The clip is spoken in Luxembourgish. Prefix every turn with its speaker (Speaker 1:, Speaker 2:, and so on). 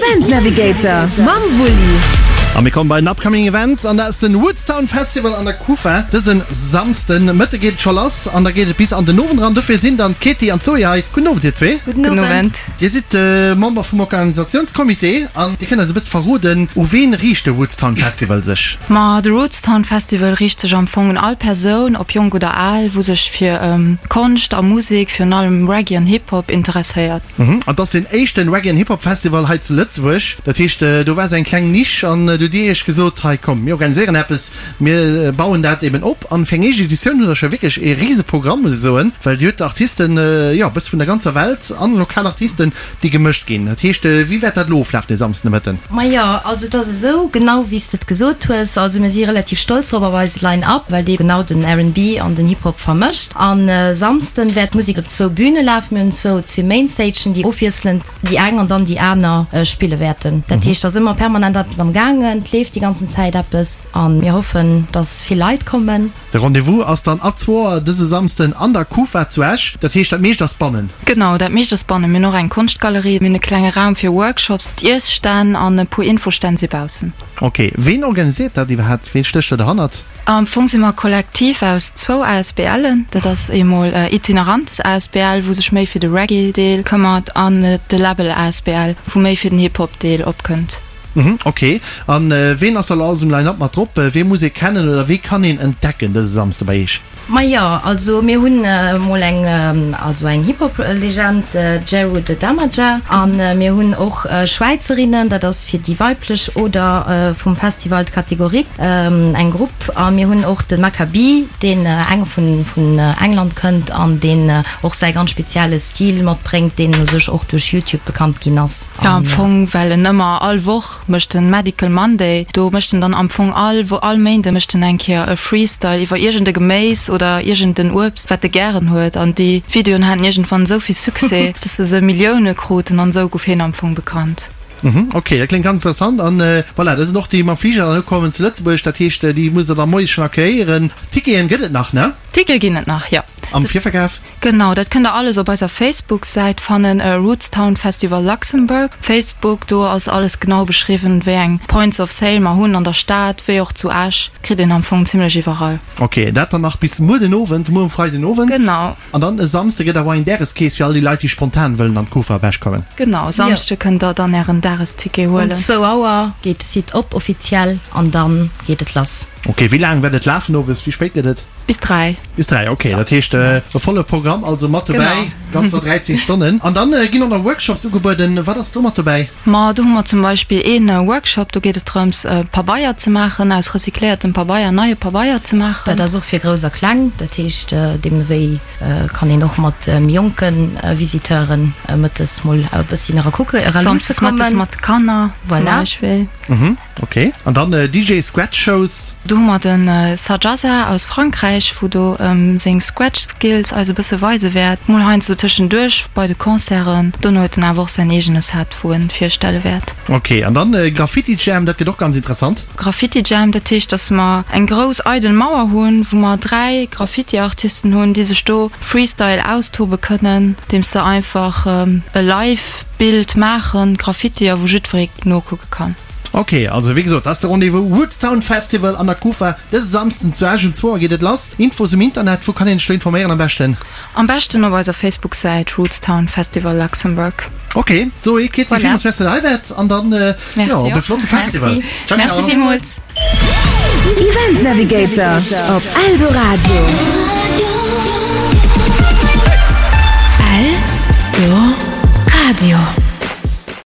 Speaker 1: Event Navigator mam Wulli.
Speaker 2: A mir kommen bei en upcoming Event an dat ass den Woodstown Festival an der Kufa. Dësen Samsden Mëtte geet et scho lass an da geet et bis an den Owend eran. Dofir sinn dann d'Katie an d'Zoé hei. Gudden Owend dir zwee.
Speaker 3: Gudden Owend.
Speaker 2: Dir sidd Member vum Organisatiounscomité an dir kënnt eis e bësse verroden, u ween riicht de Woodstown Festival sech?
Speaker 3: Ma de Rootstown Festival riicht sech am Fong un all Persoun, ob jonk oder al, wou sech fir Konscht a Musek, virun allem Reggae an Hip Hop, interesséiert.
Speaker 2: An et ass deen éischten Reggae an Hip Hop Festival hei zu Lëtzebuerg. Dat heescht, do war esou eng kleng Nisch an du hutt Dir Iech gesot, hei komm, mir organiséieren eppes, mir bauen dat eben op. An fir eng éischt Editioun hutt Der scho wierklech ee Riseprogramm, muss ech soen, well Dir hutt Artisten, jo, e bësse vun der ganzer Welt an lokal Artisten, déi gemëscht ginn. Dat heescht, wéi wäert dat elo oflafen de Samsden de Mëtten?
Speaker 4: Majo, also et ass esou, genau wéi s de et gesot hues. Also mir si relativ stolz drop op eise Line-Up, well dee genau den RnB an den Hip-Hop vermëscht. An e Samsden wäert d'Musek op zwou Büne lafen. Mir hunn zwou, zwee Mainstagen, déi ofwiesselend déi eng an dann déi aner spille wäerten. Dat heescht, et ass ëmmer permanent eppes am gaangen, et leeft déi ganzen Zäit eppes a mir hoffen, dass vill Leit kommen.
Speaker 2: De Rendez-vous ass dann ab zwou Auer dëse Samsden an der Kufa zu Esch. Dat heescht, dat meescht ass bannen.
Speaker 3: Genau, dat meescht ass bannen. Mir hunn och eng Konschtgalerie, mir hunn e klenge Raum fir Workshops, d'Iesstänn an e puer Infostänn si baussen.
Speaker 2: Ok, ween organisiert dat iwwerhaapt? Ween stécht do derhannert?
Speaker 3: Am Fong si mer e Kollektiv aus zwou ASBLen. Dat ass eemol Itinerantes asbl, wou sech méi fir de Reggae-Deel këmmert, an de Läbbel asbl, wou méi fir den Hip-Hop-Deel opkënnt.
Speaker 2: Mhm, ok. An ween ass da lo alles um Line-Up mat drop? Wee muss ee kennen oder wee kann een entdecken dëse Samsde bei Eech?
Speaker 4: Majo, also mir hunn mol eng, also eng Hip-Hop-Legend, Jeru the Damaja, a mir hunn och Schwäizerinnen, dat ass fir déi weiblech oder vum Festival d'Kategorie, eng Grupp, a mir hunn och de Macka B, deen eng vun England kënnt an deen och säi ganz spezielle Stil matbréngt, deen u sech och duerch YouTube bekannt ginn ass.
Speaker 3: Jo, am Fong, well en ëmmer all Woch mécht en Medical Monday, do mécht en dann am Fong all Wo all Méinde mécht en eng Kéier e Freestyle iwwer iergend e Geméis oder iergend en Uebst, wat e gären huet. An déi Videoen haten iergendwann esou vill Succès, dass se se Millioune kruten an esou gouf hien am Fong bekannt.
Speaker 2: Mhm, ok, dat kléngt ganz interessant. An voilà, dat sinn och déi mam Fliger dann ukommen zu Lëtzebuerg, dat heescht, déi musst der da moies schonn accueillieren. Ticketen gëtt et nach, ne?
Speaker 3: Tickete ginn et nach, jo.
Speaker 2: Am Virverkaf?
Speaker 3: Genau, dat kënnt der alles op eiser Facebook-Säit fannen, Rootstown Festival Luxembourg, Facebook. Do ass alles genau beschriwwen, wéi eng Points of Sale mer hunn an der Stad, wéi och zu Esch. Kritt een am Fong zimlech iwwerall.
Speaker 2: Ok, dat dann nach bis muer den Owend, muer um Freiden Owend.
Speaker 3: Genau.
Speaker 2: An dann e Samsde gëtt awer eng Dageskees fir all déi Leit, déi spontan wëllen an d'Kufa op Esch kommen.
Speaker 3: Genau, Samsde kënnt der dann ären Dagesticket huelen.
Speaker 4: Um zwou Auer geet de Site op offiziell an dann geet et lass.
Speaker 2: Ok, wéi laang wäert et lafen owes? Wéi spéit gëtt et?
Speaker 3: Bis 3.
Speaker 2: Bis 3, ok. Dat heescht e volle Programm also mat dobäi, ganzer 13 Stonnen. An dann ginn och nach Workshops ugebueden. Wat ass do mat dobäi?
Speaker 3: Ma do hu mer zum Beispill ee Workshop, do geet et drëms Pabeier ze maachen, aus recycléiertem Pabeier neie Pabeier ze maachen.
Speaker 4: Dat ass och fir Grouss a Kleng, dat heescht deemno wéi kann een och mat méi jonke Visiteuren mëttes mol e bësschen era kucke, era luusse
Speaker 3: Samsdes mëttes
Speaker 4: kommen.
Speaker 3: mat de Kanner zum
Speaker 4: Voilà.
Speaker 3: Beispill.
Speaker 2: Ok, an dann DJ Scratch Shows.
Speaker 3: Do hu mer de Sajaza aus Frankräich, wou do seng Scratch Skills eis e bësse weise wäert, mol heiansdo tëschenduerch bei de Concerten. Dono huet en awer och säin eegene Set, wou en virstelle wäert.
Speaker 2: Ok, an dann Graffiti Jam, dat gëtt och ganz interessant.
Speaker 3: Graffiti Jam, dat heescht, dass mer eng grouss eidel Mauer hunn, wou mer 3 Graffiti Artisten hunn, déi sech do Freestyle austobe kënnen, deems se einfach e Live Bild maachen, Graffiti, a wou jiddweree nokucke kann.
Speaker 2: Ok, also wéi gesot, dat ass de Rendez-vous Woodstown Festival an der Kufa dëse Samsden zu Esch. Um zwou Auer geet et lass. Infos um Internet, wou kann een sech do informéieren am beschten?
Speaker 3: Am beschten op eiser Facebook-Säit Rootstown Festival Luxembourg.
Speaker 2: Ok, Zoé, Ketty,
Speaker 3: Voilà.
Speaker 2: villmools Merci dat der hei waart an dann, jo, op e flotte Festival.
Speaker 3: Merci.
Speaker 2: Ciao,
Speaker 3: Merci
Speaker 2: ciao.
Speaker 3: villmools.
Speaker 1: Event Navigator op Eldoradio.